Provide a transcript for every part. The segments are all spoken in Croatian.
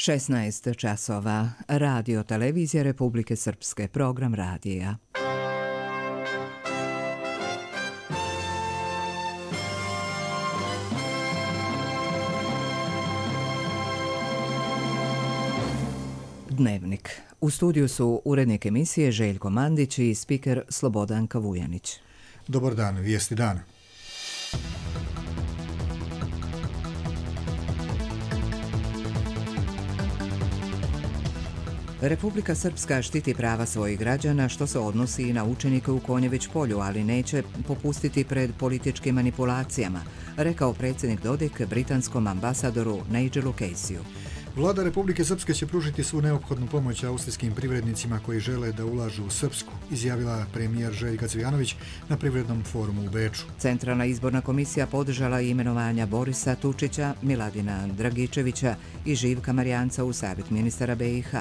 16 časova. Radio Televizija Republike Srpske. Program radija. Dnevnik. U studiju su urednik emisije Željko Mandić i spiker Slobodanka Vujanić. Dobar dan, vijesti dana. Republika Srpska štiti prava svojih građana, što se odnosi i na učenike u Konjević polju, ali neće popustiti pred političkim manipulacijama, rekao predsjednik Dodik britanskom ambasadoru Nigelu Caseyu. Vlada Republike Srpske će pružiti svu neophodnu pomoć austrijskim privrednicima koji žele da ulažu u Srpsku, izjavila premijer Željka Cvijanović na privrednom forumu u Beču. Centralna izborna komisija podržala imenovanja Borisa Tučića, Miladina Dragičevića i Živka Marijanca u savjet ministara BiH.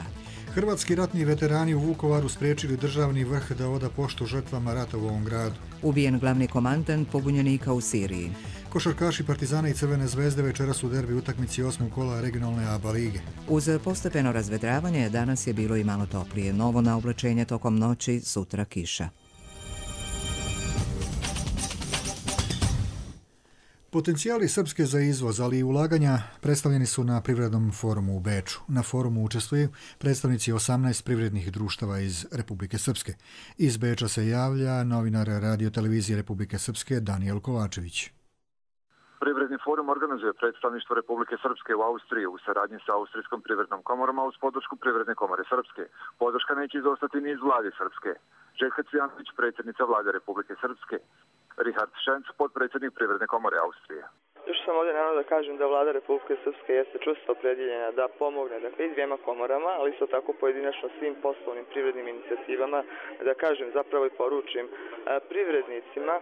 Hrvatski ratni veterani u Vukovaru spriječili državni vrh da oda poštu žrtvama rata u ovom gradu. Ubijen glavni komandant pobunjenika u Siriji. Košarkaši Partizana i Crvene zvezde večeras u derbi utakmici 8. kola regionalne ABA lige. Uz postepeno razvedravanje danas je bilo i malo toplije. Novo na oblačenje tokom noći, sutra kiša. Potencijali Srpske za izvoz, ali i ulaganja predstavljeni su na privrednom forumu u Beču. Na forumu učestvuju predstavnici 18 privrednih društava iz Republike Srpske. Iz Beča se javlja novinar Radio Televizije Republike Srpske Danijel Kovačević. Privredni forum organizuje predstavništvo Republike Srpske u Austriji u saradnji sa Austrijskom privrednom komorom, a uz podršku Privredne komore Srpske. Podrška neće izostati ni iz vlade Srpske. Željka Cvijanović, predsjednica vlade Republike Srpske. Richard Schenz, podpredsjednik Privredne komore Austrije. Još sam ovdje naravno da kažem da vlada Republike Srpske jeste čvrsto opredjeljena da pomogne, dakle, i dvijema komorama, ali isto tako pojedinačno svim poslovnim privrednim inicijativama, da kažem zapravo i poručim privrednicima,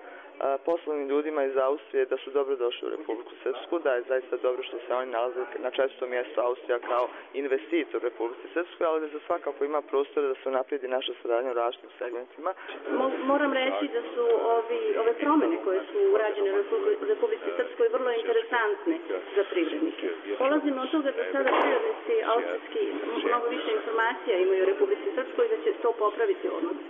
poslovnim ljudima iz Austrije da su dobro došli u Republiku Srpsku, da je zaista dobro što se oni nalaze na čestom mjestu Austrija kao investitor u Republike Srpskoj, ali da za svakako ima prostora da se naprijedi naša saradnja u različitim segmentima. Moram reći da su ove promjene koje su urađene u Republici Srpskoj vrlo interesantne za privrednike. Polazimo od toga da sada privrednici austrijski mnogo više informacija imaju u Republici Srpskoj i da će to popraviti odnos.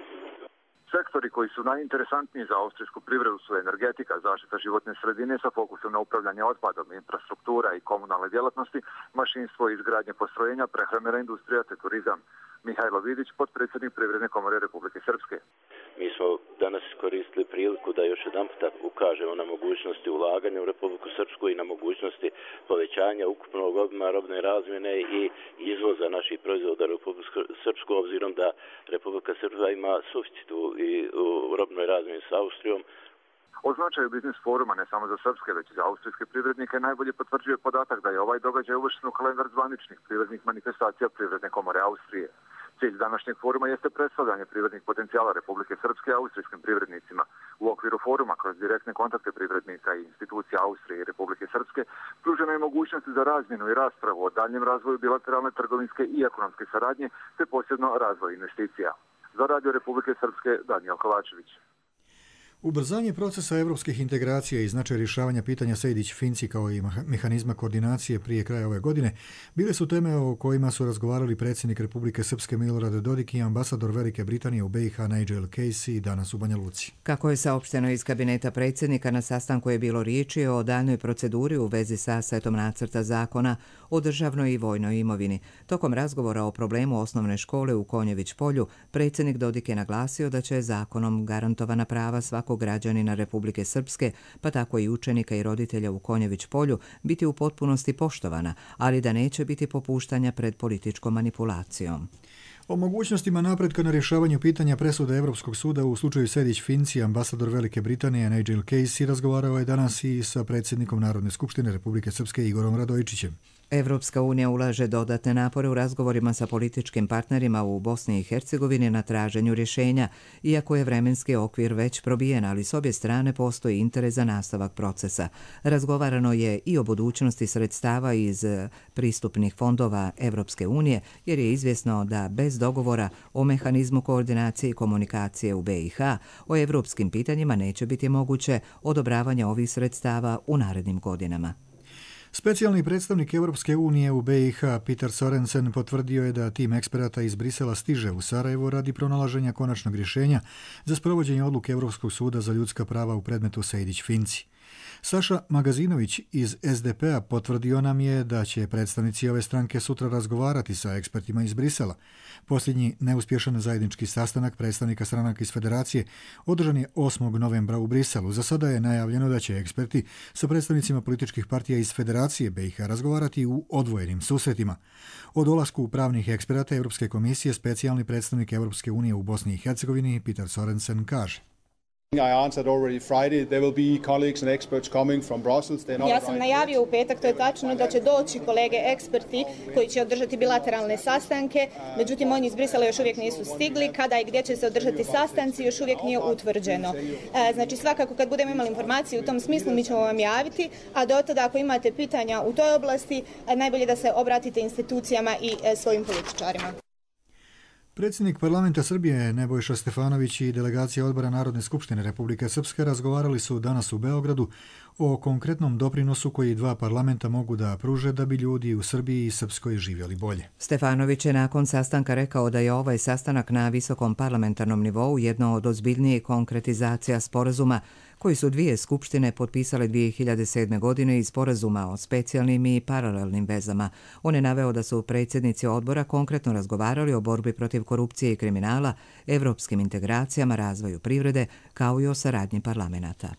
Sektori koji su najinteresantniji za austrijsku privredu su energetika, zaštita životne sredine sa fokusom na upravljanje otpadom, infrastruktura i komunalne djelatnosti, mašinstvo i izgradnje postrojenja, prehrambena industrija te turizam. Mihajlo Vidić, podpredsjednik Privredne komore Republike Srpske. Mi smo danas iskoristili priliku da još jedan puta ukažemo na mogućnosti ulaganja u Republiku Srpsku i na mogućnosti povećanja ukupnog obima robne razmjene i izvoza naših proizvoda u Republiku Srpsku, obzirom da Republika Srpska ima suficit u robnoj razmjeni s Austrijom. O značaju biznis foruma ne samo za srpske, već i za austrijske privrednike najbolje potvrđuje podatak da je ovaj događaj uvršten u kalendar zvaničnih privrednih manifestacija Privredne komore Austrije. Cilj današnjeg foruma jeste predstavljanje privrednih potencijala Republike Srpske austrijskim privrednicima. U okviru foruma, kroz direktne kontakte privrednika i institucija Austrije i Republike Srpske, pružena je mogućnost za razmjenu i raspravu o daljem razvoju bilateralne trgovinske i ekonomske saradnje, te posebno razvoj investicija. Za Radio Republike Srpske, Danijel Kovačević. Ubrzanje procesa evropskih integracija i značaj rješavanja pitanja Sejdić-Finci kao i mehanizma koordinacije prije kraja ove godine bile su teme o kojima su razgovarali predsjednik Republike Srpske Milorad Dodik i ambasador Velike Britanije u BiH Nigel Casey danas u Banja Luci. Kako je saopšteno iz kabineta predsjednika, na sastanku je bilo riječi o daljnjoj proceduri u vezi sa setom nacrta zakona o državnoj i vojnoj imovini. Tokom razgovora o problemu osnovne škole u Konjević polju, predsjednik Dodik je naglasio da će zakonom garantovana prava svakog građanina Republike Srpske, pa tako i učenika i roditelja u Konjević polju, biti u potpunosti poštovana, ali da neće biti popuštanja pred političkom manipulacijom. O mogućnostima napretka na rješavanju pitanja presude Evropskog suda u slučaju Sejdić-Finci, ambasador Velike Britanije Nigel Casey razgovarao je danas i sa predsjednikom Narodne skupštine Republike Srpske Igorom Radojičićem. Evropska unija ulaže dodatne napore u razgovorima sa političkim partnerima u Bosni i Hercegovini na traženju rješenja, iako je vremenski okvir već probijen, ali s obje strane postoji interes za nastavak procesa. Razgovarano je i o budućnosti sredstava iz pristupnih fondova Evropske unije, jer je izvjesno da bez dogovora o mehanizmu koordinacije i komunikacije u BiH o evropskim pitanjima neće biti moguće odobravanje ovih sredstava u narednim godinama. Specijalni predstavnik Europske unije u BiH Peter Sorensen potvrdio je da tim eksperata iz Brisela stiže u Sarajevo radi pronalaženja konačnog rješenja za sprovođenje odluke Europskog suda za ljudska prava u predmetu Sejdić-Finci. Saša Magazinović iz SDP-a potvrdio nam je da će predstavnici ove stranke sutra razgovarati sa ekspertima iz Brisela. Posljednji neuspješan zajednički sastanak predstavnika stranaka iz Federacije održan je 8. novembra u Briselu. Za sada je najavljeno da će eksperti sa predstavnicima političkih partija iz Federacije BiH razgovarati u odvojenim susretima. O dolasku pravnih eksperata Europske komisije specijalni predstavnik Europske unije u Bosni i Hercegovini Peter Sorensen kaže: Ja sam najavio u petak, to je tačno, da će doći kolege eksperti koji će održati bilateralne sastanke, međutim oni iz Brisela još uvijek nisu stigli, kada i gdje će se održati sastanci još uvijek nije utvrđeno. Znači svakako kad budemo imali informacije u tom smislu mi ćemo vam javiti, a do tada ako imate pitanja u toj oblasti najbolje da se obratite institucijama i svojim političarima. Predsjednik parlamenta Srbije Nebojša Stefanović i delegacija odbora Narodne skupštine Republike Srpske razgovarali su danas u Beogradu o konkretnom doprinosu koji dva parlamenta mogu da pruže da bi ljudi u Srbiji i Srpskoj živjeli bolje. Stefanović je nakon sastanka rekao da je ovaj sastanak na visokom parlamentarnom nivou jedno od ozbiljnijih konkretizacija sporazuma koji su dvije skupštine potpisale 2007. godine i sporazuma o specijalnim i paralelnim vezama. On je naveo da su predsjednici odbora konkretno razgovarali o borbi protiv korupcije i kriminala, evropskim integracijama, razvoju privrede, kao i o saradnji parlamenata.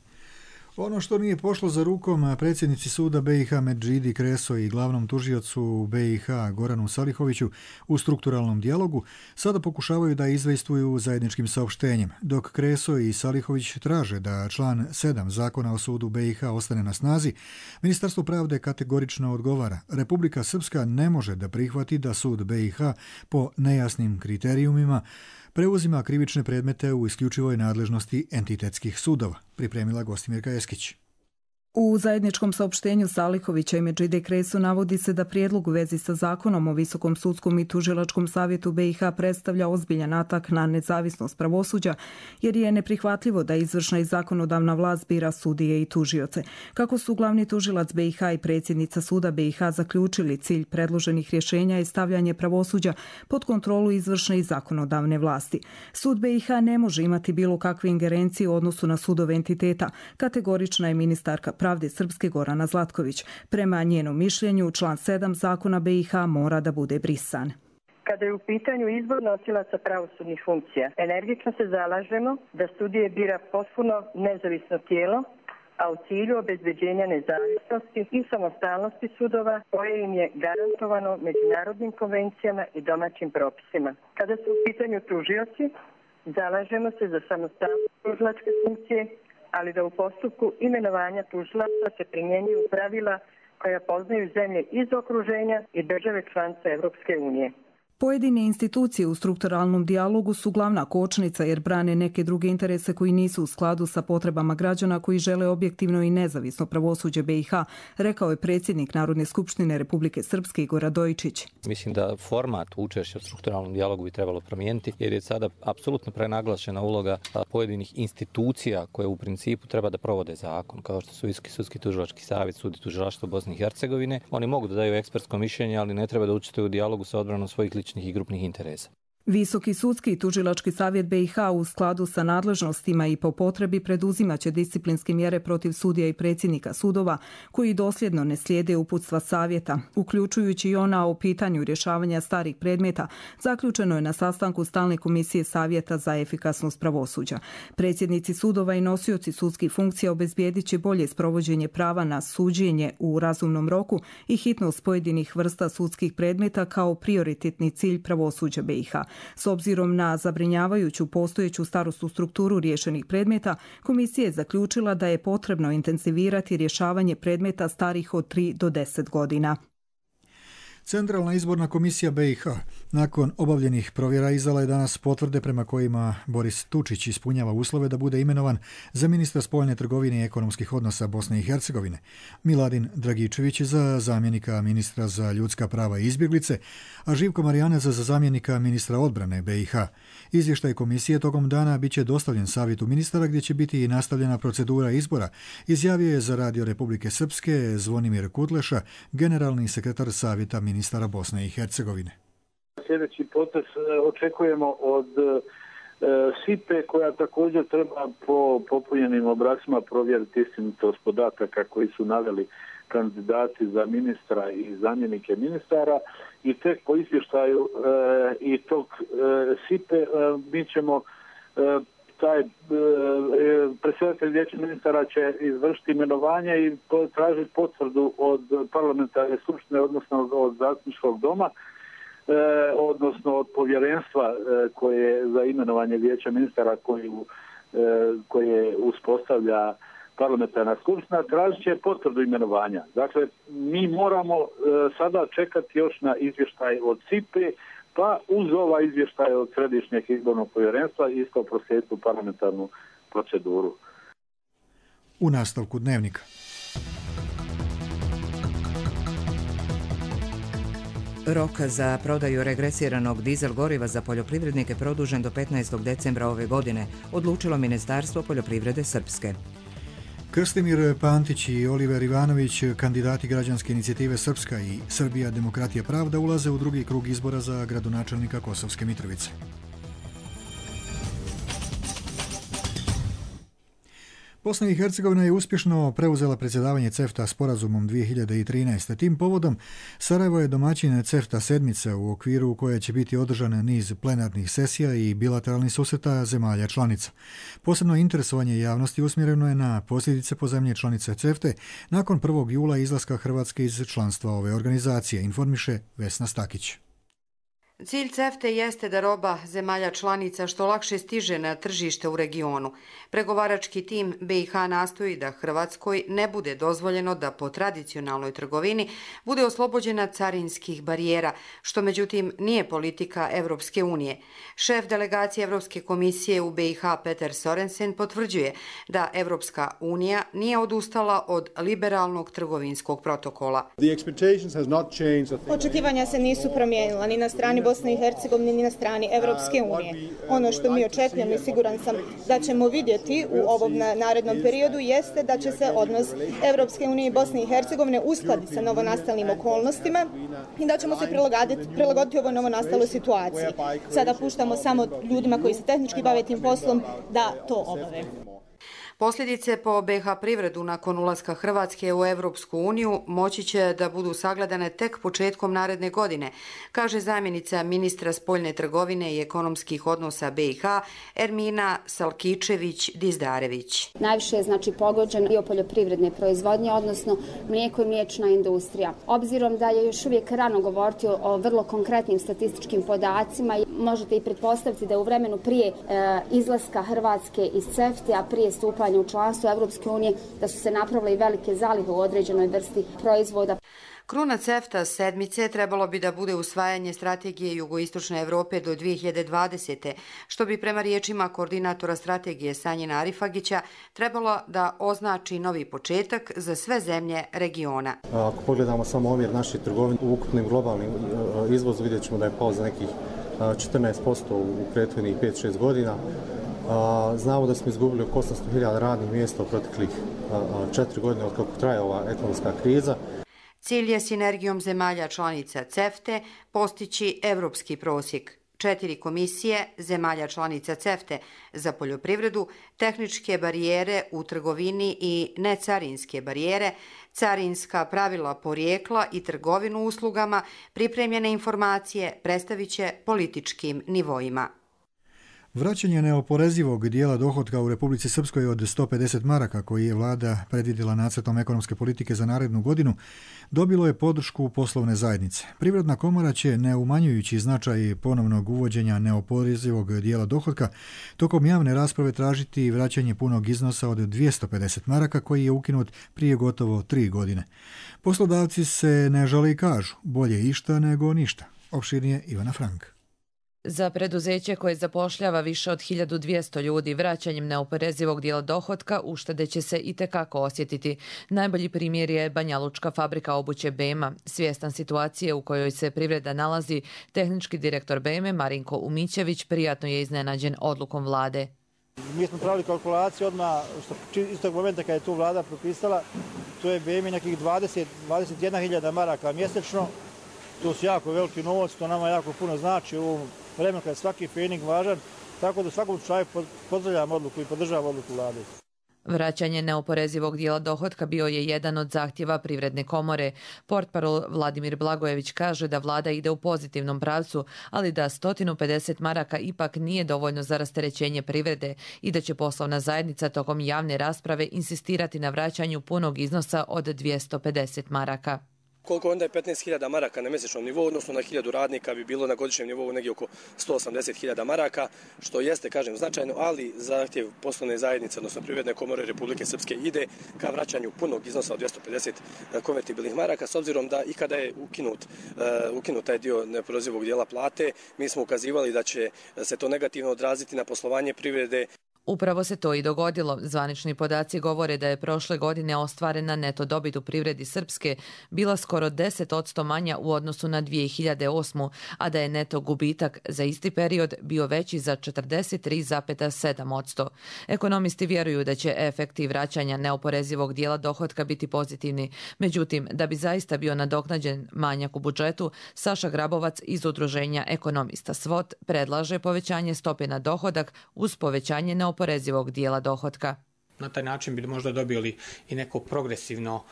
Ono što nije pošlo za rukom predsjednici suda BiH Medžidi Kreso i glavnom tužiocu BiH Goranu Salihoviću u strukturalnom dijalogu sada pokušavaju da izvejstvuju zajedničkim saopštenjem. Dok Kreso i Salihović traže da član 7 Zakona o sudu BiH ostane na snazi, Ministarstvo pravde kategorično odgovara: Republika Srpska ne može da prihvati da sud BiH po nejasnim kriterijumima preuzima krivične predmete u isključivoj nadležnosti entitetskih sudova, pripremila Gostimirka Eskić. U zajedničkom saopštenju Salihovića i Medžide Kresu navodi se da prijedlog u vezi sa zakonom o Visokom sudskom i tužilačkom savjetu BiH predstavlja ozbiljan atak na nezavisnost pravosuđa, jer je neprihvatljivo da izvršna i zakonodavna vlast bira sudije i tužioce. Kako su glavni tužilac BiH i predsjednica suda BiH zaključili, cilj predloženih rješenja je stavljanje pravosuđa pod kontrolu izvršne i zakonodavne vlasti. Sud BiH ne može imati bilo kakve ingerencije u odnosu na sudove entiteta, kategorična je ministarka pravde Srpske Gorana Zlatković. Prema njenom mišljenju, član 7 Zakona BiH mora da bude brisan. Kada je u pitanju izbor nosilaca pravosudnih funkcija, energično se zalažemo da sudije bira potpuno nezavisno tijelo, a u cilju obezbeđenja nezavisnosti i samostalnosti sudova koje im je garantovano međunarodnim konvencijama i domaćim propisima. Kada su u pitanju tužioci, zalažemo se za samostalnost tužilačke funkcije, ali da u postupku imenovanja tužilaca se primjenjuju pravila koja poznaju zemlje iz okruženja i države članice Europske unije. Pojedine institucije u strukturalnom dijalogu su glavna kočnica jer brane neke druge interese koji nisu u skladu sa potrebama građana koji žele objektivno i nezavisno pravosuđe BiH, rekao je predsjednik Narodne skupštine Republike Srpske Igor Radojičić. Mislim da format učešća u strukturalnom dijalogu bi trebalo promijeniti jer je sada apsolutno prenaglašena uloga pojedinih institucija koje u principu treba da provode zakon, kao što su Visoki sudski tužilački savjet, sud i tužilaštvo Bosne i Hercegovine. Oni mogu da daju ekspertsko mišljenje, ali ne treba da učestvuju u dijalogu sa odbranom svojih ličnih i grupnih interesa. Visoki sudski i tužilački savjet BiH u skladu sa nadležnostima i po potrebi preduzimaće disciplinske mjere protiv sudija i predsjednika sudova koji dosljedno ne slijede uputstva savjeta, uključujući i ona o pitanju rješavanja starih predmeta, zaključeno je na sastanku Stalne komisije savjeta za efikasnost pravosuđa. Predsjednici sudova i nosioci sudskih funkcija obezbijedit će bolje sprovođenje prava na suđenje u razumnom roku i hitnost pojedinih vrsta sudskih predmeta kao prioritetni cilj pravosuđa BiH. S obzirom na zabrinjavajuću postojeću starosnu strukturu riješenih predmeta, komisija je zaključila da je potrebno intenzivirati rješavanje predmeta starih od 3 do 10 godina. Centralna izborna komisija BiH nakon obavljenih provjera izdala je danas potvrde prema kojima Boris Tučić ispunjava uslove da bude imenovan za ministra spoljne trgovine i ekonomskih odnosa Bosne i Hercegovine, Miladin Dragičević za zamjenika ministra za ljudska prava i izbjeglice, a Živko Marjanac za zamjenika ministra odbrane BiH. Izvještaj komisije tokom dana bit će dostavljen savjetu ministara gdje će biti i nastavljena procedura izbora, izjavio je za Radio Republike Srpske Zvonimir Kutleša, generalni sekretar savjeta ministara Bosne i Hercegovine. Sljedeći potez očekujemo od SIPE koja također treba po popunjenim obrascima provjeriti istinitost podataka koji su naveli kandidati za ministra i zamjenike ministara i tek po izvještaju i tog SIPE mi ćemo taj predsjedatelj vijeća ministara će izvršiti imenovanje i tražiti potvrdu od parlamentarne skupštine, odnosno od zastupničkog doma, odnosno od povjerenstva koje za imenovanje vijeća ministara koje uspostavlja parlamentarna skupština, tražit će potvrdu imenovanja. Dakle, mi moramo sada čekati još na izvještaj od SIPE, pa uz ovaj izvještaj od Središnjeg izbornog povjerenstva isto proslijediti u parlamentarnu proceduru. U nastavku dnevnika. Rok za prodaju regresiranog dizel goriva za poljoprivrednike produžen do 15. decembra ove godine, odlučilo Ministarstvo poljoprivrede Srpske. Krstimir Pantić i Oliver Ivanović, kandidati građanske inicijative Srpska i Srbija demokratija pravda, ulaze u drugi krug izbora za gradonačelnika Kosovske Mitrovice. Bosna i Hercegovina je uspješno preuzela predsjedavanje CEFTA sporazumom 2013. Tim povodom Sarajevo je domaćin CEFTA sedmice u okviru koje će biti održan niz plenarnih sesija i bilateralnih susreta zemalja članica. Posebno interesovanje javnosti usmjereno je na posljedice po zemlje članice CEFTA nakon 1. jula izlaska Hrvatske iz članstva ove organizacije, informiše Vesna Stakić. Cilj CEFTA jeste da roba zemalja članica što lakše stiže na tržište u regionu. Pregovarački tim BiH nastoji da Hrvatskoj ne bude dozvoljeno da po tradicionalnoj trgovini bude oslobođena carinskih barijera, što međutim nije politika Evropske unije. Šef delegacije Evropske komisije u BiH Peter Sorensen potvrđuje da Evropska unija nije odustala od liberalnog trgovinskog protokola. Očekivanja se nisu promijenila ni na strani Bosne i Hercegovine ni na strani Evropske unije. Ono što mi očekujemo i siguran sam da ćemo vidjeti u ovom narednom periodu jeste da će se odnos Evropske unije i Bosne i Hercegovine uskladiti sa novonastalim okolnostima i da ćemo se prilagoditi ovoj novonastaloj situaciji. Sada puštamo samo ljudima koji se tehnički bave tim poslom da to obave. Posljedice po BiH privredu nakon ulaska Hrvatske u Evropsku uniju moći će da budu sagledane tek početkom naredne godine, kaže zamjenica ministra spoljne trgovine i ekonomskih odnosa BiH Ermina Salkičević-Dizdarević. Najviše je pogođen dio poljoprivredne proizvodnje, odnosno mlijeko i mliječna industrija. Obzirom da je još uvijek rano govoriti o vrlo konkretnim statističkim podacima, možete i pretpostaviti da u vremenu prije izlaska Hrvatske iz CEFTA, a prije stupanja u članstvo Evropske unije, da su se napravile i velike zalihe u određenoj vrsti proizvoda. Kruna CEFTA sedmice trebalo bi da bude usvajanje strategije jugoistočne Evrope do 2020. što bi prema riječima koordinatora strategije Sanjina Arifagića trebalo da označi novi početak za sve zemlje regiona. Ako pogledamo samo omjer naših trgovina u ukupnim globalnim izvozu, vidjet ćemo da je pao za nekih 14% u prethodnih 5-6 godina. Znamo da smo izgubili oko 800.000 radnih mjesta u proteklih 4 godine od kako traje ova ekonomska kriza. Cilj je sinergijom zemalja članica CEFTA postići evropski prosjek. 4 komisije zemalja članica CEFTA za poljoprivredu, tehničke barijere u trgovini i necarinske barijere, carinska pravila porijekla i trgovinu uslugama, pripremljene informacije predstavit će političkim nivoima. Vraćanje neoporezivog dijela dohotka u Republici Srpskoj od 150 maraka koji je vlada predvidjela nacrtom ekonomske politike za narednu godinu dobilo je podršku poslovne zajednice. Privredna komora će, ne umanjujući značaj ponovnog uvođenja neoporezivog dijela dohotka, tokom javne rasprave tražiti vraćanje punog iznosa od 250 maraka koji je ukinut prije gotovo 3 godine. Poslodavci se ne žale i kažu, bolje išta nego ništa. Opširnije Ivana Frank. Za preduzeće koje zapošljava više od 1200 ljudi, vraćanjem neoporezivog dijela dohotka uštede će se i tekako osjetiti. Najbolji primjer je Banjalučka fabrika obuće Bema. Svjestan situacije u kojoj se privreda nalazi, tehnički direktor Beme Marinko Umićević prijatno je iznenađen odlukom vlade. Mi smo pravili kalkulaciju odmah iz tog momenta kada je tu vlada propisala, to je Bemi nekih 21.000 maraka mjesečno. To su jako veliki novac, to nama jako puno znači u ovom vremenu kada je svaki fening važan, tako da u svakom slučaju pozdravljam odluku i podržavam odluku vlade. Vraćanje neoporezivog dijela dohotka bio je jedan od zahtjeva Privredne komore. Portparol Vladimir Blagojević kaže da vlada ide u pozitivnom pravcu, ali da 150 maraka ipak nije dovoljno za rasterećenje privrede i da će poslovna zajednica tokom javne rasprave insistirati na vraćanju punog iznosa od 250 maraka. Koliko onda je 15.000 maraka na mjesečnom nivou, odnosno na 1000 radnika bi bilo na godišnjem nivou negdje oko 180.000 maraka, što jeste, kažem, značajno, ali zahtjev poslovne zajednice, odnosno Privredne komore Republike Srpske ide ka vraćanju punog iznosa od 250 konvertibilnih maraka, s obzirom da i kada je ukinut taj dio neoporezivog dijela plate, mi smo ukazivali da će se to negativno odraziti na poslovanje privrede. Upravo se to i dogodilo. Zvanični podaci govore da je prošle godine ostvarena neto dobit u privredi Srpske bila skoro 10% manja u odnosu na 2008. a da je neto gubitak za isti period bio veći za 43,7%. Ekonomisti vjeruju da će efekti vraćanja neoporezivog dijela dohotka biti pozitivni. Međutim, da bi zaista bio nadoknađen manjak u budžetu, Saša Grabovac iz udruženja ekonomista SWOT predlaže povećanje stope na dohodak uz povećanje neoporezivog dijela dohotka. Na taj način bi možda dobili i neko progresivno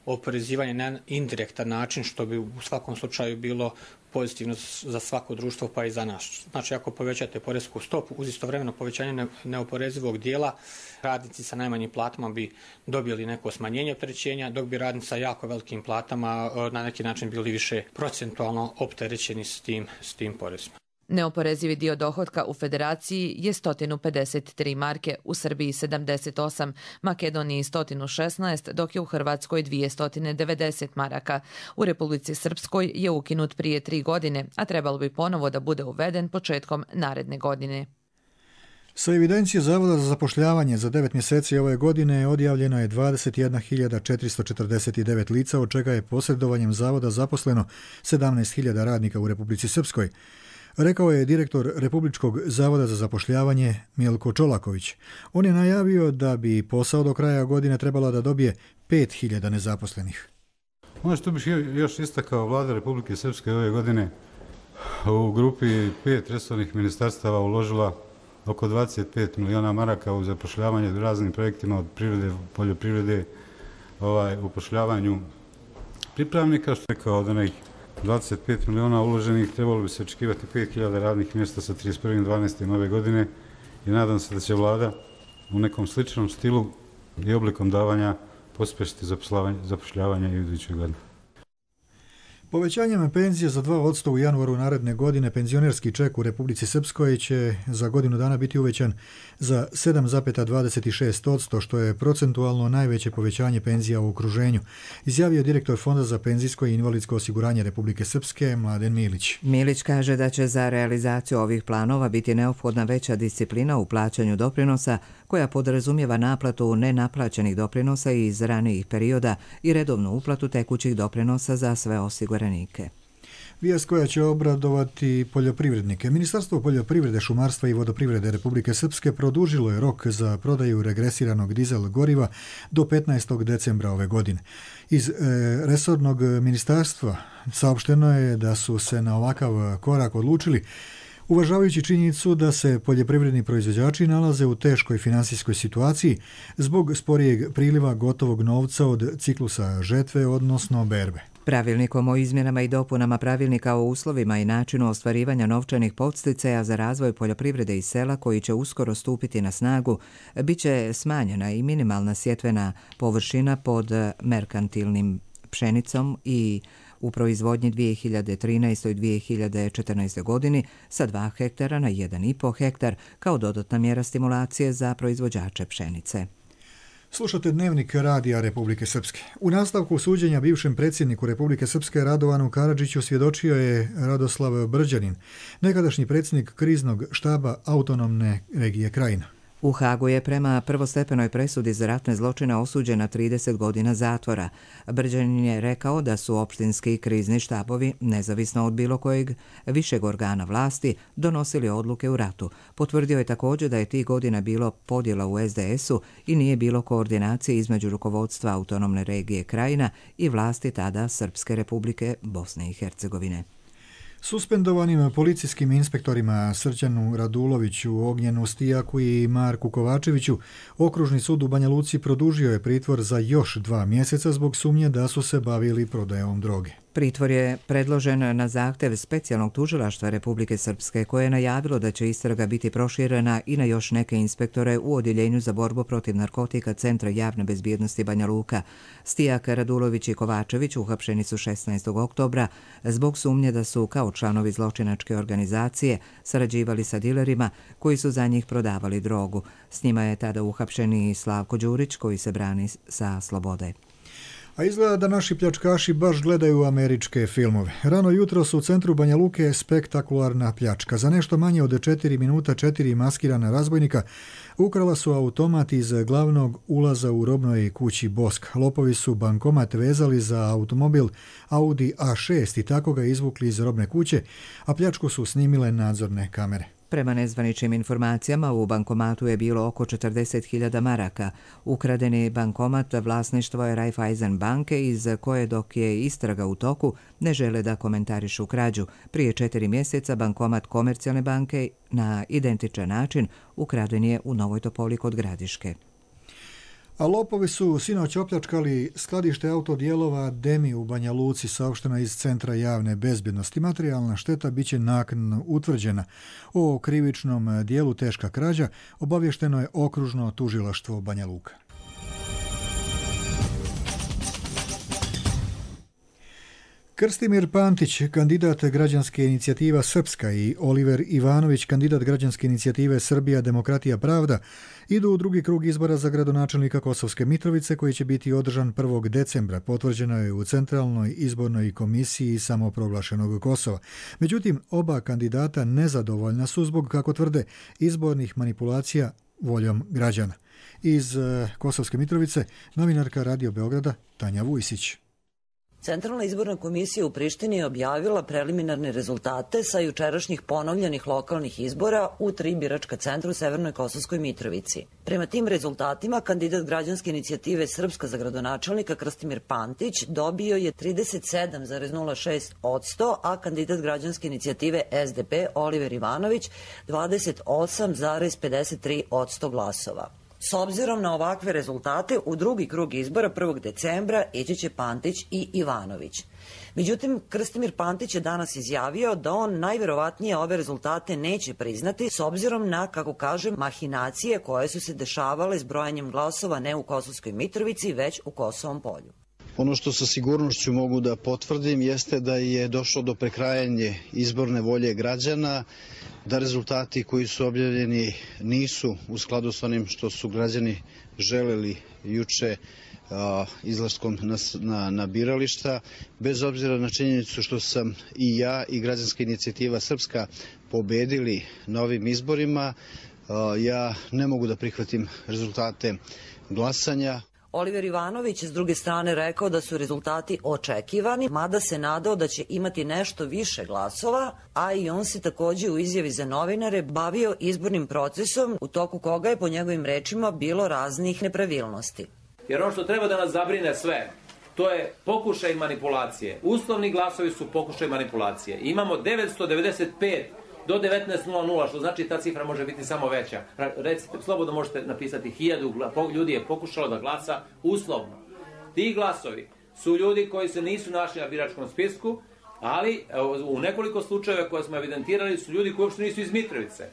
oporezivanje na indirektan način, što bi u svakom slučaju bilo pozitivno za svako društvo pa i za nas. Znači, ako povećate poresku stopu uz istovremeno povećanje neoporezivog dijela, radnici sa najmanjim platama bi dobili neko smanjenje opterećenja, dok bi radnici sa jako velikim platama na neki način bili više procentualno opterećeni s tim porezima. Neoporezivi dio dohotka u Federaciji je 153 marke, u Srbiji 78, Makedoniji 116, dok je u Hrvatskoj 290 maraka. U Republici Srpskoj je ukinut prije 3 godine, a trebalo bi ponovo da bude uveden početkom naredne godine. Sa evidencije Zavoda za zapošljavanje za 9 mjeseci ove godine odjavljeno je 21.449 lica, od čega je posredovanjem Zavoda zaposleno 17.000 radnika u Republici Srpskoj. Rekao je direktor Republičkog zavoda za zapošljavanje Milko Čolaković. On je najavio da bi posao do kraja godine trebala da dobije 5.000 nezaposlenih. Ono što bih još istakao, vlada Republike Srpske ove godine u grupi 5 resornih ministarstava uložila oko 25 miliona maraka u zapošljavanje u raznim projektima od privrede, poljoprivrede, upošljavanju pripravnika, što je kao od onih 25 miliona uloženih, trebalo bi se očekivati 5.000 radnih mjesta sa 31.12. ove godine i nadam se da će vlada u nekom sličnom stilu i oblikom davanja pospješiti zapošljavanje i u idućoj godini. Povećanjem penzije za 2% u januaru naredne godine penzionerski ček u Republici Srpskoj će za godinu dana biti uvećan za 7,26%, što je procentualno najveće povećanje penzija u okruženju, izjavio direktor Fonda za penzijsko i invalidsko osiguranje Republike Srpske Mladen Milić. Milić kaže da će za realizaciju ovih planova biti neophodna veća disciplina u plaćanju doprinosa, koja podrazumijeva naplatu nenaplaćenih doprinosa iz ranijih perioda i redovnu uplatu tekućih doprinosa za sve osiguranike. Vijest koja će obradovati poljoprivrednike. Ministarstvo poljoprivrede, šumarstva i vodoprivrede Republike Srpske produžilo je rok za prodaju regresiranog dizel goriva do 15. decembra ove godine. Iz resornog ministarstva saopšteno je da su se na ovakav korak odlučili uvažavajući činjenicu da se poljoprivredni proizvođači nalaze u teškoj finansijskoj situaciji zbog sporijeg priliva gotovog novca od ciklusa žetve, odnosno berbe. Pravilnikom o izmjenama i dopunama pravilnika o uslovima i načinu ostvarivanja novčanih podsticaja za razvoj poljoprivrede i sela koji će uskoro stupiti na snagu, bit će smanjena i minimalna sjetvena površina pod merkantilnim pšenicom i u proizvodnji 2013. i 2014. godini sa 2 hektara na 1,5 hektar kao dodatna mjera stimulacije za proizvođače pšenice. Slušate Dnevnik Radija Republike Srpske. U nastavku suđenja bivšem predsjedniku Republike Srpske Radovanu Karadžiću svjedočio je Radoslav Brđanin, nekadašnji predsjednik kriznog štaba autonomne regije Krajina. U Hagu je prema prvostepenoj presudi za ratne zločine osuđen na 30 godina zatvora. Brđanin je rekao da su opštinski krizni štabovi, nezavisno od bilo kojeg višeg organa vlasti, donosili odluke u ratu. Potvrdio je također da je tih godina bilo podjela u SDS-u i nije bilo koordinacije između rukovodstva autonomne regije Krajina i vlasti tada Srpske republike Bosne i Hercegovine. Suspendovanim policijskim inspektorima Srđanu Raduloviću, Ognjenu Stijaku i Marku Kovačeviću Okružni sud u Banja Luci produžio je pritvor za još 2 mjeseca zbog sumnje da su se bavili prodajom droge. Pritvor je predložen na zahtev specijalnog tužilaštva Republike Srpske koje je najavilo da će istraga biti proširena i na još neke inspektore u Odjeljenju za borbu protiv narkotika Centra javne bezbjednosti Banja Luka. Stijak, Radulović i Kovačević uhapšeni su 16. oktobra zbog sumnje da su kao članovi zločinačke organizacije sarađivali sa dilerima koji su za njih prodavali drogu. S njima je tada uhapšen i Slavko Đurić koji se brani sa slobode. A izgleda da naši pljačkaši baš gledaju američke filmove. Rano jutro su u centru Banja Luke je spektakularna pljačka. Za nešto manje od 4 minuta 4 maskirana razbojnika ukrala su automat iz glavnog ulaza u robnoj kući Bosk. Lopovi su bankomat vezali za automobil Audi A6 i tako ga izvukli iz robne kuće, a pljačku su snimile nadzorne kamere. Prema nezvaničnim informacijama, u bankomatu je bilo oko 40.000 maraka. Ukradeni bankomat vlasništvo je Raiffeisen banke iz koje, dok je istraga u toku, ne žele da komentarišu krađu. Prije 4 mjeseca bankomat Komercijalne banke na identičan način ukraden je u Novoj Topoli kod Gradiške. A lopovi su sinoć opljačkali skladište autodijelova Demi u Banja Luci, saopšteno iz Centra javne bezbjednosti. Materijalna šteta biće naknadno utvrđena. O krivičnom dijelu teška krađa obavješteno je Okružno tužilaštvo Banja Luka. Krstimir Pantić, kandidat građanske inicijativa Srpska i Oliver Ivanović, kandidat građanske inicijative Srbija, Demokratija, Pravda, idu u drugi krug izbora za gradonačelnika Kosovske Mitrovice koji će biti održan 1. decembra. Potvrđeno je u Centralnoj izbornoj komisiji samoproglašenog Kosova. Međutim, oba kandidata nezadovoljna su zbog, kako tvrde, izbornih manipulacija voljom građana. Iz Kosovske Mitrovice, novinarka Radio Beograda Tanja Vujsić. Centralna izborna komisija u Prištini je objavila preliminarne rezultate sa jučerašnjih ponovljenih lokalnih izbora u 3 biračka centra u Severnoj Kosovskoj Mitrovici. Prema tim rezultatima, kandidat građanske inicijative Srpska za gradonačelnika Krstimir Pantić dobio je 37,06%, a kandidat građanske inicijative SDP Oliver Ivanović 28,53% glasova. S obzirom na ovakve rezultate, u drugi krug izbora 1. decembra ići će Pantić i Ivanović. Međutim, Krstimir Pantić je danas izjavio da on najverovatnije ove rezultate neće priznati s obzirom na, kako kaže, mahinacije koje su se dešavale s brojanjem glasova ne u Kosovskoj Mitrovici, već u Kosovom Polju. Ono što sa sigurnošću mogu da potvrdim jeste da je došlo do prekrajanja izborne volje građana, da rezultati koji su objavljeni nisu u skladu s onim što su građani želeli juče izlaskom na birališta, bez obzira na činjenicu što sam i ja i građanska inicijativa Srpska pobedili na ovim izborima, ja ne mogu da prihvatim rezultate glasanja. Oliver Ivanović s druge strane rekao da su rezultati očekivani, mada se nadao da će imati nešto više glasova, a i on se također u izjavi za novinare bavio izbornim procesom u toku koga je po njegovim rečima bilo raznih nepravilnosti. Jer ono što treba da nas zabrine sve, to je pokušaj manipulacije. Uslovni glasovi su pokušaj manipulacije. Imamo 995 do 19.00, što znači ta cifra može biti samo veća. Recite, slobodno možete napisati 1000 ljudi je pokušalo da glasa uslovno. Ti glasovi su ljudi koji se nisu našli na biračkom spisku, ali u nekoliko slučajeva koje smo evidentirali su ljudi koji uopšte nisu iz Mitrovice.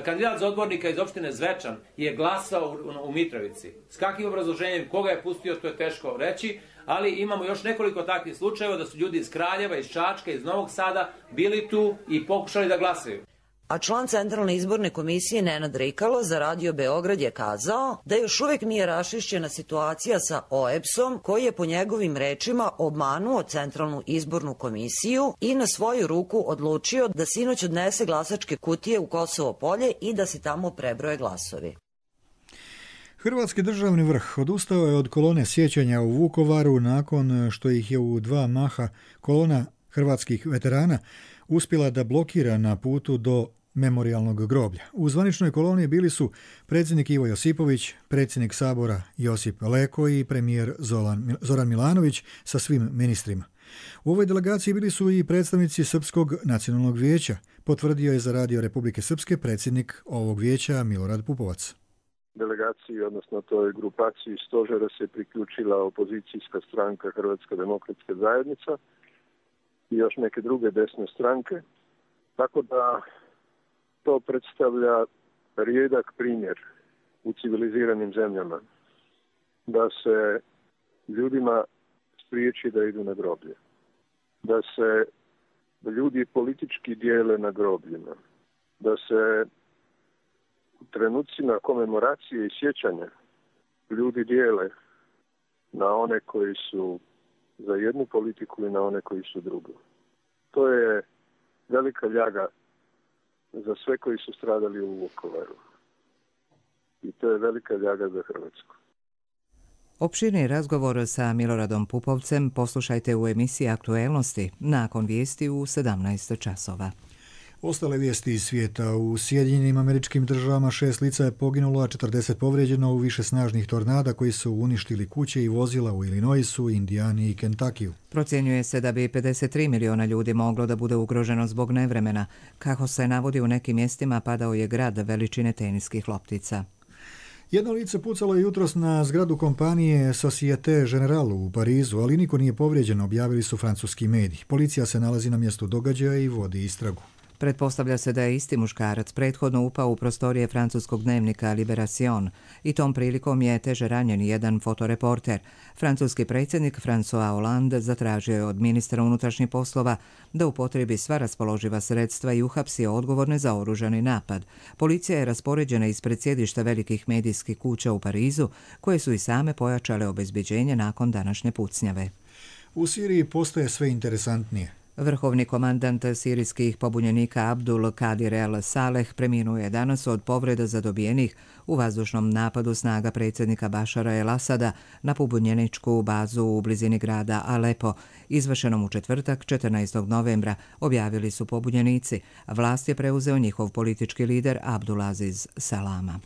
Kandidat za odbornika iz opštine Zvečan je glasao u Mitrovici. S kakvim obrazloženjem, koga je pustio, to je teško reći, ali imamo još nekoliko takvih slučajeva da su ljudi iz Kraljeva, iz Čačka, iz Novog Sada bili tu i pokušali da glasaju. A član Centralne izborne komisije Nenad Rikalo za Radio Beograd je kazao da još uvijek nije raščišćena situacija sa OEBS-om koji je po njegovim rečima obmanuo Centralnu izbornu komisiju i na svoju ruku odlučio da sinoć odnese glasačke kutije u Kosovo Polje i da se tamo prebroje glasovi. Hrvatski državni vrh odustao je od kolone sjećanja u Vukovaru nakon što ih je u 2 maha kolona hrvatskih veterana uspjela da blokira na putu do memorijalnog groblja. U zvaničnoj koloni bili su predsjednik Ivo Josipović, predsjednik Sabora Josip Leko i premijer Zoran Milanović sa svim ministrima. U ovoj delegaciji bili su i predstavnici Srpskog nacionalnog vijeća, potvrdio je za Radio Republike Srpske predsjednik ovog vijeća Milorad Pupovac. Delegaciji, odnosno toj grupaciji stožera se priključila opozicijska stranka Hrvatska demokratska zajednica i još neke druge desne stranke, tako da to predstavlja rijedak primjer u civiliziranim zemljama, da se ljudima spriječi da idu na groblje, da se ljudi politički dijele na grobljima, da se u trenucima komemoracije i sjećanja ljudi dijele na one koji su za jednu politiku i na one koji su drugu. To je velika ljaga za sve koji su stradali u Vukovaru. I to je velika ljaga za Hrvatsku. Opširni razgovor sa Miloradom Pupovcem poslušajte u emisiji Aktuelnosti nakon vijesti u 17 časova. Ostale vijesti iz svijeta. U Sjedinjenim Američkim Državama 6 lica je poginulo, a 40 povrijeđeno u više snažnih tornada koji su uništili kuće i vozila u Illinoisu, Indijani i Kentakiju. Procjenjuje se da bi 53 miliona ljudi moglo da bude ugroženo zbog nevremena. Kako se navodi, u nekim mjestima padao je grad veličine teniskih loptica. Jedno lice pucalo je jutros na zgradu kompanije Societe Generale u Parizu, ali niko nije povrijeđen, objavili su francuski mediji. Policija se nalazi na mjestu događaja i vodi istragu. Pretpostavlja se da je isti muškarac prethodno upao u prostorije francuskog dnevnika Libération i tom prilikom je teže ranjen jedan fotoreporter. Francuski predsjednik François Hollande zatražio je od ministra unutrašnjih poslova da upotrebi sva raspoloživa sredstva i uhapsio odgovorne za oružani napad. Policija je raspoređena ispred sjedišta velikih medijskih kuća u Parizu, koje su i same pojačale obezbeđenje nakon današnje pucnjave. U Siriji postaje sve interesantnije. Vrhovni komandant sirijskih pobunjenika Abdul Kadir El Saleh preminuo je danas od povreda zadobijenih u vazdušnom napadu snaga predsjednika Bašara El Asada na pobunjeničku bazu u blizini grada Alepo, izvršenom u četvrtak 14. novembra, objavili su pobunjenici. Vlast je preuzeo njihov politički lider Abdulaziz Salama.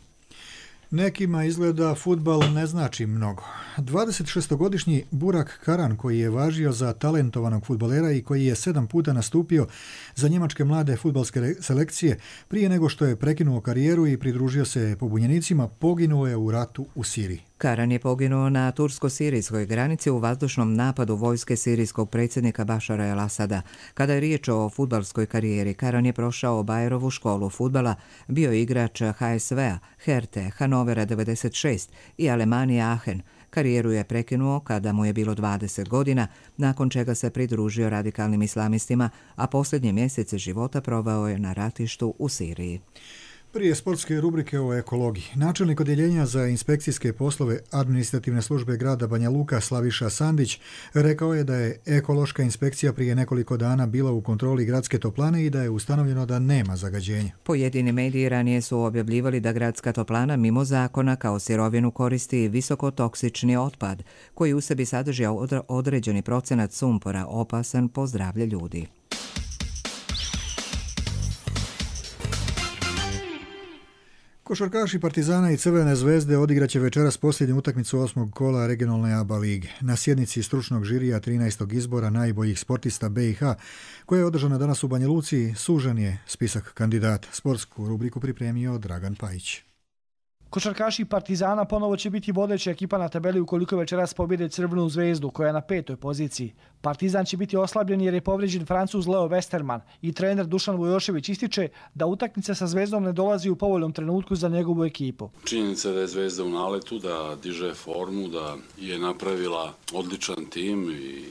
Nekima izgleda fudbal ne znači mnogo. 26-godišnji Burak Karan, koji je važio za talentovanog fudbalera i koji je 7 puta nastupio za njemačke mlade fudbalske selekcije, prije nego što je prekinuo karijeru i pridružio se pobunjenicima, poginuo je u ratu u Siriji. Karan je poginuo na tursko-sirijskoj granici u vazdušnom napadu vojske sirijskog predsjednika Bašara El Asada. Kada je riječ o fudbalskoj karijeri, Karan je prošao Bayerovu školu fudbala, bio igrač HSV-a, Herte, Hanovera 96 i Alemanije Aachen. Karijeru je prekinuo kada mu je bilo 20 godina, nakon čega se pridružio radikalnim islamistima, a posljednje mjesece života proveo je na ratištu u Siriji. Prije sportske rubrike o ekologiji, načelnik odjeljenja za inspekcijske poslove administrativne službe grada Banja Luka Slaviša Sandić rekao je da je ekološka inspekcija prije nekoliko dana bila u kontroli gradske toplane i da je ustanovljeno da nema zagađenja. Pojedini mediji ranije su objavljivali da gradska toplana mimo zakona kao sirovinu koristi visokotoksični otpad, koji u sebi sadrži određeni procenat sumpora opasan po zdravlje ljudi. Košarkaši Partizana i Crvene zvezde odigraće večeras posljednju utakmicu 8. kola regionalne ABA lige. Na sjednici stručnog žirija 13. izbora najboljih sportista BiH, koja je održana danas u Banja Luci, sužen je spisak kandidata. Sportsku rubriku pripremio Dragan Pajić. Košarkaši Partizana ponovo će biti vodeća ekipa na tabeli ukoliko večeras pobjede Crvenu zvezdu koja je na 5. poziciji. Partizan će biti oslabljen jer je povrijeđen Francuz Leo Westerman i trener Dušan Vujošević ističe da utakmica sa Zvezdom ne dolazi u povoljnom trenutku za njegovu ekipu. Činjenica da je Zvezda u naletu, da diže formu, da je napravila odličan tim i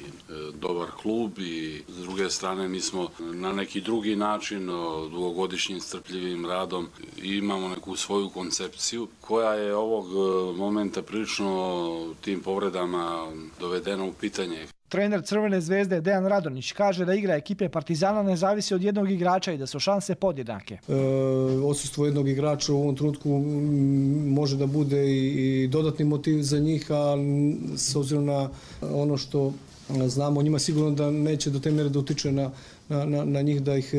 dobar klub i s druge strane mi smo na neki drugi način dugogodišnjim strpljivim radom i imamo neku svoju koncepciju koja je ovog momenta prilično tim povredama dovedena u pitanje. Trener Crvene zvezde Dejan Radonjić kaže da igra ekipe Partizana ne zavisi od jednog igrača i da su šanse podjednake. Odsustvo jednog igrača u ovom trenutku može da bude i dodatni motiv za njih, a s obzirom na ono što znamo o njima sigurno da neće do te mjere da utiče na njih, da ih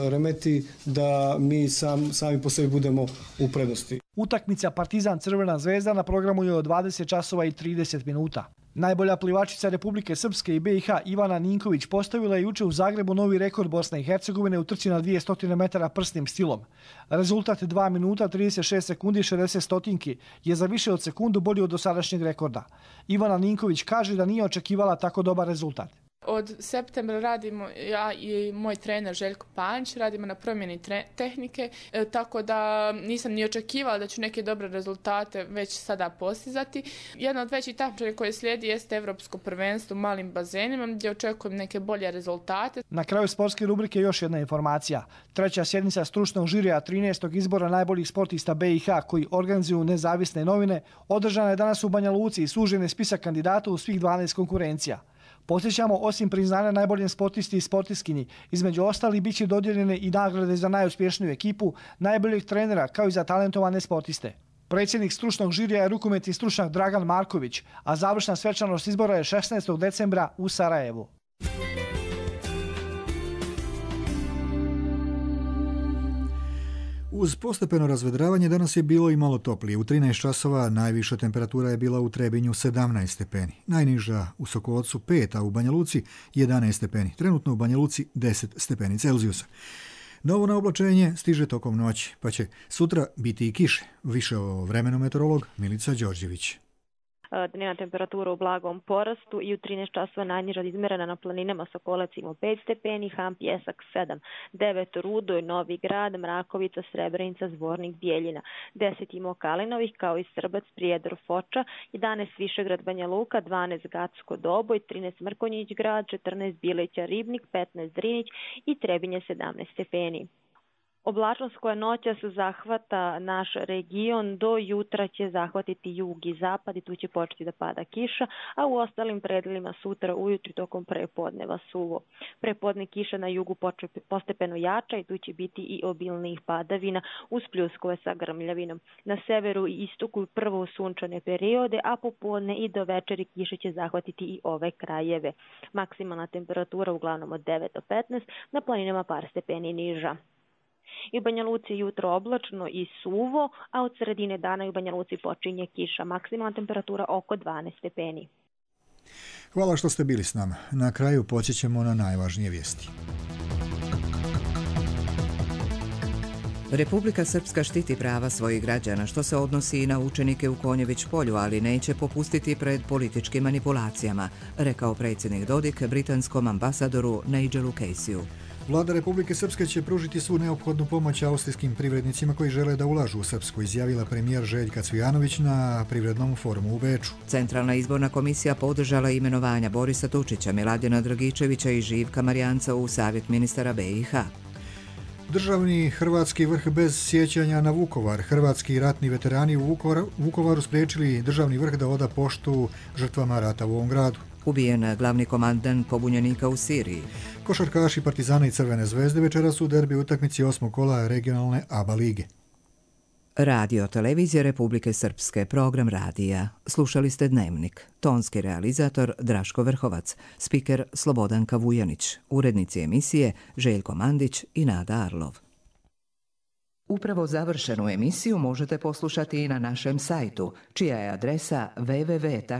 remeti, da mi sami po sebi budemo u prednosti. Utakmica Partizan Crvena zvezda na programu je od 20 časova i 30 minuta. Najbolja plivačica Republike Srpske i BiH Ivana Ninković postavila je juče u Zagrebu novi rekord Bosne i Hercegovine u trci na 200 metara prsnim stilom. Rezultat 2 minuta 36 sekundi i 60 stotinki je za više od sekundu bolji od dosadašnjeg rekorda. Ivana Ninković kaže da nije očekivala tako dobar rezultat. Od septembra radimo, ja i moj trener Željko Panč, radimo na promjeni tehnike, tako da nisam ni očekivala da ću neke dobre rezultate već sada postizati. Jedna od većih takmičenja koje slijedi jeste Evropsko prvenstvo u malim bazenima gdje očekujem neke bolje rezultate. Na kraju sportske rubrike još jedna informacija. 3. sjednica stručnog žirija 13. izbora najboljih sportista BiH koji organizuju nezavisne novine održana je danas u Banja Luci i sužen je spisak kandidata u svih 12 konkurencija. Podsjećamo, osim priznanja najboljem sportisti i sportiskinji, između ostalih bit će dodijeljene i nagrade za najuspješniju ekipu, najboljeg trenera kao i za talentovane sportiste. Predsjednik stručnog žirija je rukometni stručnjak Dragan Marković, a završna svečanost izbora je 16. decembra u Sarajevu. Uz postepeno razvedravanje danas je bilo i malo toplije. U 13 časova najviša temperatura je bila u Trebinju 17 stepeni. Najniža u Sokolcu 5, a u Banja Luci 11 stepeni. Trenutno u Banja Luci 10 stepeni Celzijusa. Novo naoblačenje stiže tokom noći, pa će sutra biti i kiše. Više o vremenu meteorolog Milica Đorđević. Dnevna temperatura u blagom porastu i u 13 časova najniža izmjerena na planinama Sokolac ima 5 stepeni, Ham, Pjesak 7, 9 Rudoj, Novi Grad, Mrakovica, Srebrenica, Zvornik, Bijeljina, 10 ima Kalinovih kao i Srbac, Prijedor, Foča, 11 Višegrad, Banja Luka, 12 Gacko, Doboj, 13 Mrkonjić Grad, 14 Bileća, Ribnik, 15 Drinić i Trebinje 17 stepeni. Oblačnost koja noćas zahvata naš region do jutra će zahvatiti jug i zapad i tu će početi da pada kiša, a u ostalim predelima sutra ujutru tokom prepodneva suvo. Prepodne kiša na jugu postepeno jača i tu će biti i obilnijih padavina uz pljuskove sa grmljavinom. Na severu i istoku prvo sunčane periode, a popodne i do večeri kiša će zahvatiti i ove krajeve. Maksimalna temperatura uglavnom od 9 do 15, na planinama par stepeni niža. I u Banja Luci jutro oblačno i suvo, a od sredine dana i u Banja Luci počinje kiša. Maksimalna temperatura oko 12 stepeni. Hvala što ste bili s nama. Na kraju podsjećamo na najvažnije vijesti. Republika Srpska štiti prava svojih građana, što se odnosi i na učenike u Konjević polju, ali neće popustiti pred političkim manipulacijama, rekao predsjednik Dodik britanskom ambasadoru Nigelu Caseyu. Vlada Republike Srpske će pružiti svu neophodnu pomoć austrijskim privrednicima koji žele da ulažu u Srpsku, izjavila premijer Željka Cvijanović na privrednom forumu u Beču. Centralna izborna komisija podržala imenovanja Borisa Tučića, Miladina Dragičevića i Živka Marijanca u Savjet ministara BiH. Državni hrvatski vrh bez sjećanja na Vukovar. Hrvatski ratni veterani u Vukovaru spriječili državni vrh da oda poštu žrtvama rata u ovom gradu. Ubijen glavni komandant pobunjenika u Siriji. Košarkaši Partizana i Crvene zvezde večeras su u derbi utakmici 8. kola regionalne ABA lige. Radio Televizija Republike Srpske, program radija. Slušali ste Dnevnik. Tonski realizator Draško Vrhovac, spiker Slobodanka Vujanić, urednici emisije Željko Mandić i Nada Arlov. Upravo završenu emisiju možete poslušati i na našem sajtu, čija je adresa www.rtrs.tv.